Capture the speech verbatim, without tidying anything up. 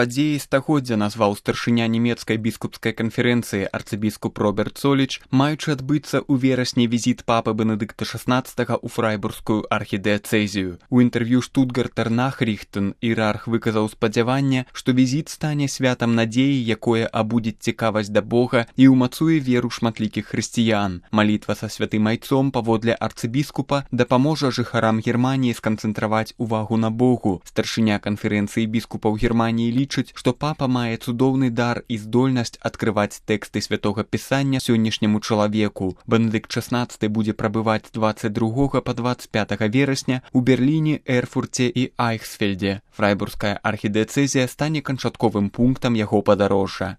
Падзеі стагоддзя назваў старшыня нямецкай біскупскай канферэнцыі арцыбіскуп Роберт Соліч, маючы адбыцца ў верасні візіт папы Бенедыкта шаснаццатага ў фрайбургскую архідыяцэзію. У інтэрв'ю Штутгартер Нахрихтен іерарх выказаў спадзяванне, што візіт стане святам надзеі, якое абудзіць цікавасць да Бога і ўмацуе веру шматлікіх хрысціян. Малітва са святым айцом паводле арцыбіскупа дапаможа жыхарам Германіі сканцэнтраваць увагу на Богу. Старшыня канферэнцыі біскупаў Германіі лічыць, што папа мае цудоўны дар і здольнасць адкрываць тэксты святога пісання сённяшняму чалавеку. Бенедыкт шаснаццаты будзе прабываць з дваццаць другога па дваццаць пятага верасня у Берліне, Эрфурце і Айхсфельде. Фрайбургская архідыяцэзія стане канчатковым пунктам яго падарожжа.